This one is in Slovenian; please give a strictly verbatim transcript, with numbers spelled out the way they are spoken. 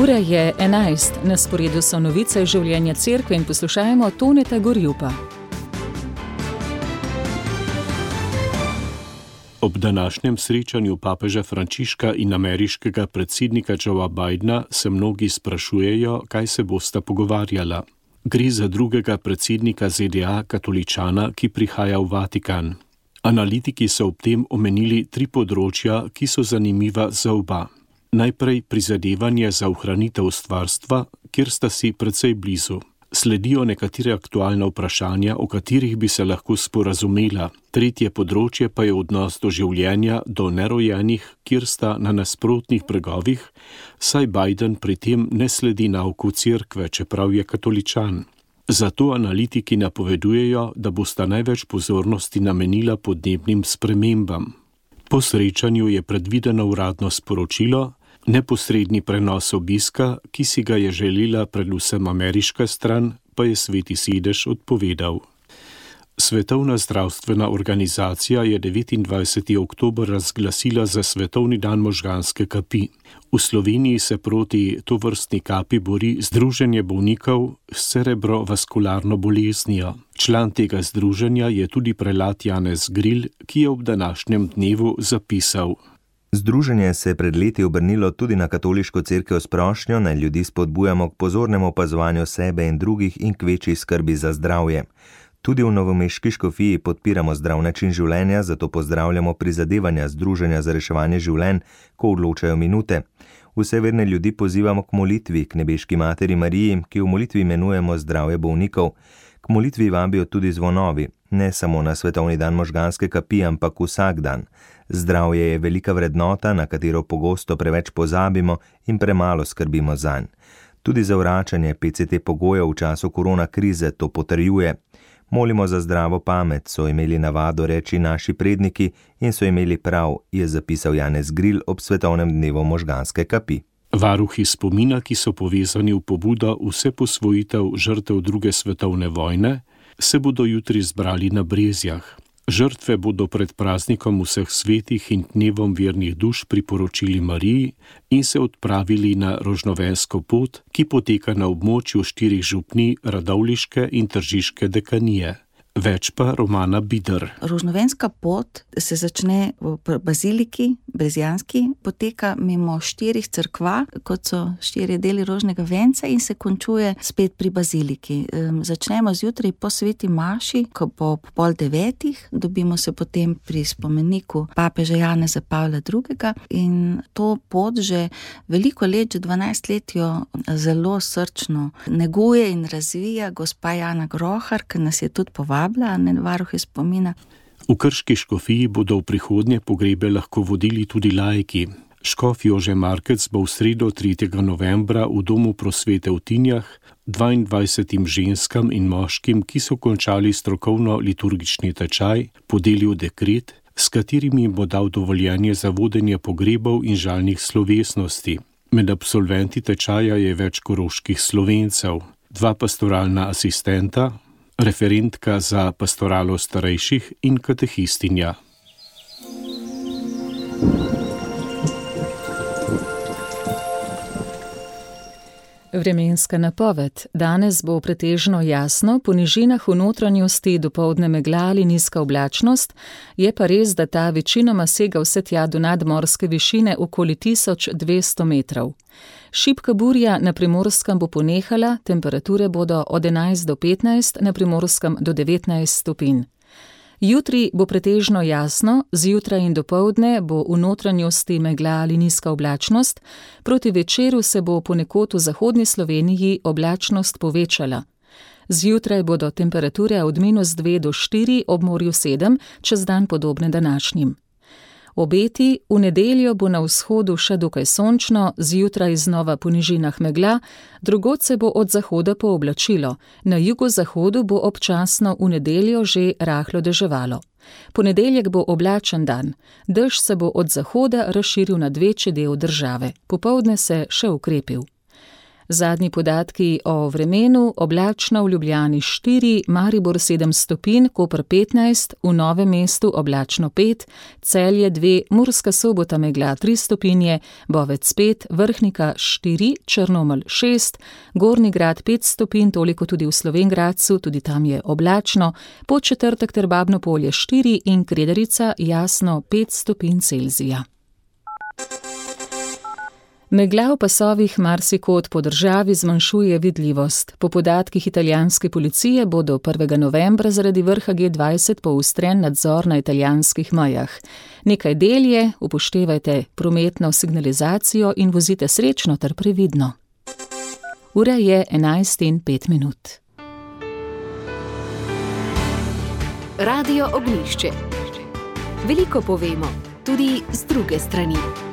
Ura je enajst, na sporedu so novice življenja cerkve in poslušajmo Toneta Gorjupa. Ob današnjem srečanju papeža Frančiška in ameriškega predsednika Joea Bidena se mnogi sprašujejo, kaj se bosta pogovarjala. Gre za drugega predsednika Z D A katoličana, ki prihaja v Vatikan. Analitiki so ob tem omenili tri področja, ki so zanimiva za oba. Najprej prizadevanje za ohranitev stvarstva, kjer sta si precej blizu. Sledijo nekatere aktualna vprašanja, o katerih bi se lahko sporazumela. Tretje področje pa je odnos do življenja, do nerojenih, kjer sta na nasprotnih bregovih, saj Biden pri tem ne sledi nauku cerkve, čeprav je katoličan. Zato analitiki napovedujejo, da bosta največ pozornosti namenila podnebnim spremembam. Po srečanju je predvideno uradno sporočilo, neposredni prenos obiska, ki si ga je želela predvsem ameriška stran, pa je Sveti sedež odpovedal. Svetovna zdravstvena organizacija je devetindvajseti oktober razglasila za svetovni dan možganske kapi. V Sloveniji se proti tovrstni kapi bori Združenje bolnikov s cerebrovaskularno boleznijo. Član tega združenja je tudi prelat Janez Gril, ki je ob današnjem dnevu zapisal: Združenje se je pred leti obrnilo tudi na katoliško cerkev s prošnjo, naj ljudi spodbujamo k pozornemu opazovanju sebe in drugih in k večji skrbi za zdravje. Tudi v novomeški škofiji podpiramo zdrav način življenja, zato pozdravljamo prizadevanja Združenja za reševanje življenj, ko odločajo minute. Vse verne ljudi pozivamo k molitvi, k nebeški materi Mariji, ki v molitvi imenujemo zdravje bolnikov. K molitvi vabijo tudi zvonovi, ne samo na svetovni dan možganske kapi, ampak vsak dan. Zdravje je velika vrednota, na katero pogosto preveč pozabimo in premalo skrbimo zanj. Tudi zavračanje P C T pogojev v času korona krize to potrjuje. Molimo za zdravo pamet, so imeli navado reči naši predniki in so imeli prav, je zapisal Janez Gril ob svetovnem dnevu možganske kapi. Varuhi spomina, ki so povezani v pobudo vse posvojitev žrtev druge svetovne vojne, se bodo jutri zbrali na Brezjah. Žrtve bodo pred praznikom vseh svetih in dnevom vernih duš priporočili Mariji in se odpravili na rožnovensko pot, ki poteka na območju štirih župnij Radovljiške in Tržiške dekanije. Več pa Romana Bider. Rožnovenska pot se začne v baziliki, brezjanski, poteka mimo štirih cerkva, kot so štiri deli rožnega venca in se končuje spet pri baziliki. Začnemo zjutraj po sveti maši, ko bo pol devetih, dobimo se potem pri spomeniku papeža Janeza Pavla drugega in to pot že veliko let, že dvanajst let jo zelo srčno neguje in razvija gospa Jana Grohar, ki nas je tudi povabila. Varuhe spomina. V Krški škofiji bodo v prihodnje pogrebe lahko vodili tudi laiki. Škof Jože Markec bo v sredo tretjega novembra v domu prosvete v Tinjah dvaindvajsetim ženskam in moškim, ki so končali strokovno liturgični tečaj, podelil dekret, s katerimi bo dal dovoljenje za vodenje pogrebov in žalnih slovesnosti. Med absolventi tečaja je več koroških Slovencev, dva pastoralna asistenta, referentka za pastoralo starejših in katehistinja. Vremenska napoved. Danes bo pretežno jasno, po nižinah v notranjosti dopoldne megla ali nizka oblačnost, je pa res, da ta večinoma sega vse tja do nadmorske višine okoli tisoč dvesto metrov. Šibka burja na Primorskem bo ponehala, temperature bodo od enajst do petnajst, na Primorskem do devetnajst stopinj. Jutri bo pretežno jasno, zjutraj in dopoldne bo v notranjosti megla ali nizka oblačnost, proti večeru se bo ponekod v zahodni Sloveniji oblačnost povečala. Zjutraj bodo temperature od minus dve do štiri, ob morju sedem, čez dan podobne današnjim. Obeti, v nedeljo bo na vzhodu še dokaj sončno, zjutraj znova po nižinah megla, drugod se bo od zahoda pooblačilo, na jugozahodu bo občasno v nedeljo že rahlo deževalo. Ponedeljek bo oblačen dan, dež se bo od zahoda razširil nad večji del države, popoldne se še ukrepil. Zadnji podatki o vremenu: oblačno v Ljubljani štiri, Maribor sedem stopinj, Koper petnajst, v Novem mestu oblačno pet, Celje dve, Murska Sobota megla tri stopinje, Bovec pet, Vrhnika štiri, Črnomelj šest, Gornji Grad pet stopinj, toliko tudi v Slovenj Gradcu, tudi tam je oblačno, Podčetrtek ter Babno Polje štiri in Kredarica jasno pet stopinj Celzija. Megla v pasovih marsikod po državi zmanjšuje vidljivost. Po podatkih italijanske policije bo do prvega novembra zaradi vrha G dvajset poostren nadzor na italijanskih mejah. Nekaj del je, upoštevajte prometno signalizacijo in vozite srečno ter previdno. Ura je enajst in pet minut. Radio Ognjišče. Veliko povemo, tudi z druge strani.